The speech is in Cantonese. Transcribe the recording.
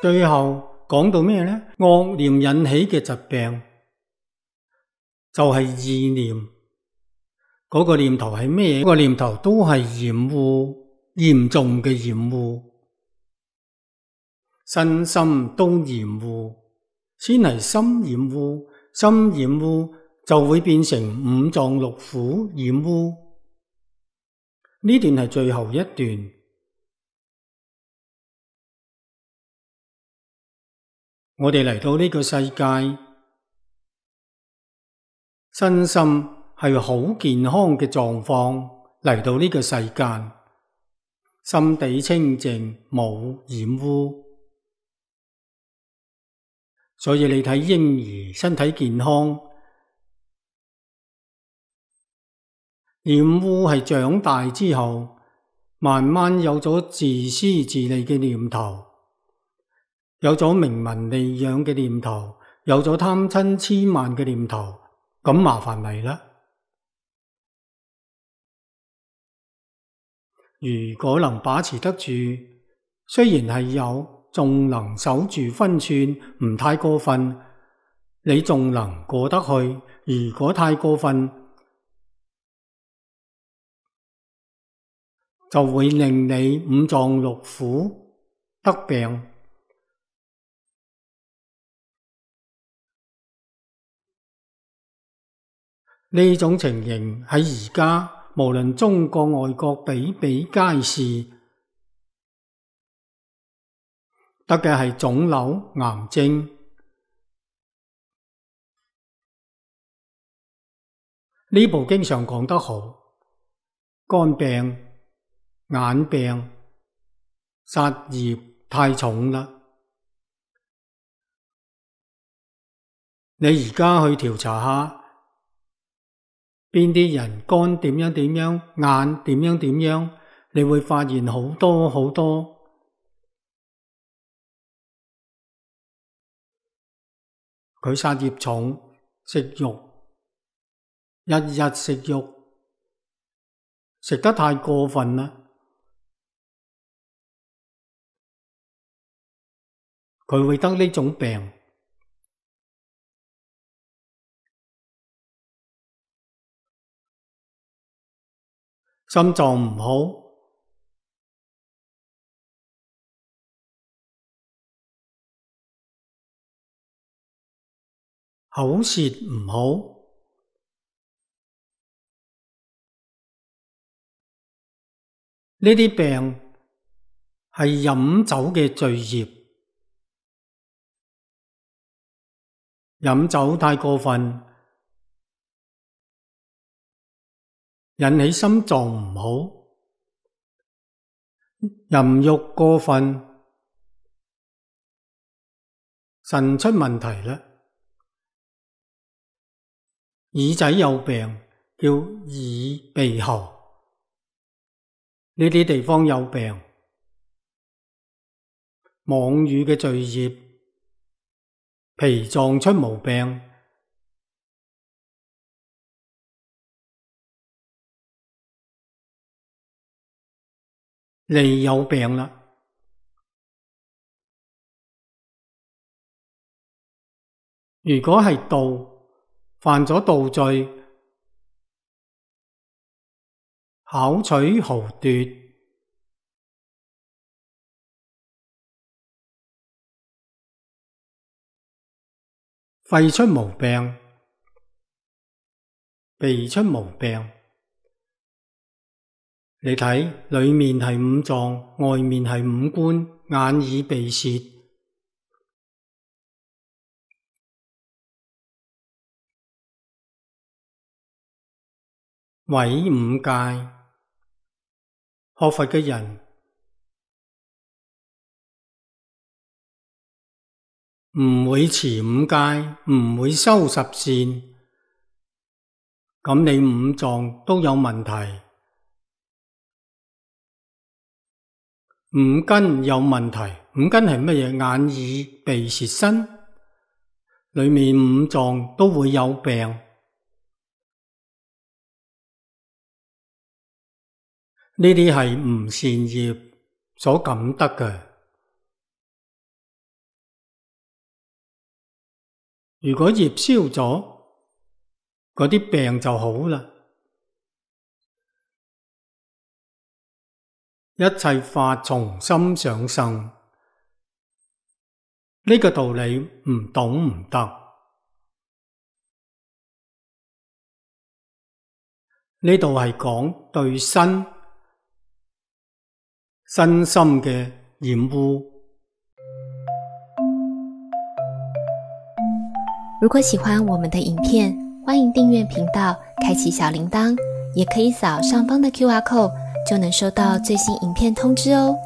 最後講到咩呢？惡念引起嘅疾病就係意念。嗰個念頭係咩？嗰個念頭都係嫌惡，嚴重嘅嫌惡，身心都嫌惡。先係心染污，心染污就會變成五臟六腑染污。呢段係最後一段。我哋嚟到呢個世界，身心係好健康嘅狀況嚟到呢個世間，心地清淨，冇染污。所以你睇嬰兒身體健康，染污係長大之後慢慢有咗自私自利嘅念頭，有咗名聞利養嘅念頭，有咗貪嗔癡慢嘅念頭，咁麻煩嚟啦。如果能把持得住，雖然係有，仲能守住分寸，唔太過分，你仲能過得去。如果太過分，就會令你五臟六腑得病。呢種情形喺而家無論中國外國比比皆是，得嘅係腫瘤、癌症。呢部經常講得好，肝病、眼病、殺業太重啦。你而家去調查下，邊啲人肝點樣點樣，眼點樣點樣，你會發現好多好多。佢殺業重，食肉，日日食肉，食得太過分啦。佢會得呢種病。心臟唔好，口舌唔好，呢啲病係飲酒嘅罪業。飲酒太過分，引起心臟唔好；淫欲過分，腎出問題啦。耳仔有病，叫耳鼻喉，呢啲地方有病。妄語嘅罪業，脾臟出毛病。脷有病啦。如果係盜，犯咗盜罪，巧取豪奪，肺出毛病，鼻出毛病。你睇，裏面係五臟，外面係五官，眼耳鼻舌，毀五戒。學佛嘅人唔會持五戒，唔會修十善，咁你五臟都有問題。五根有問題，五根係乜嘢？眼耳鼻舌身，裏面五臟都會有病。呢啲係唔善業所感得嘅。如果業消咗，嗰啲病就好啦。一切法從心想生，呢個道理唔懂唔得。呢度係講對身心嘅染污。如果喜歡我們的影片，歡迎訂閱頻道，開啟小鈴鐺，也可以掃上方的QR code，就能收到最新影片通知哦。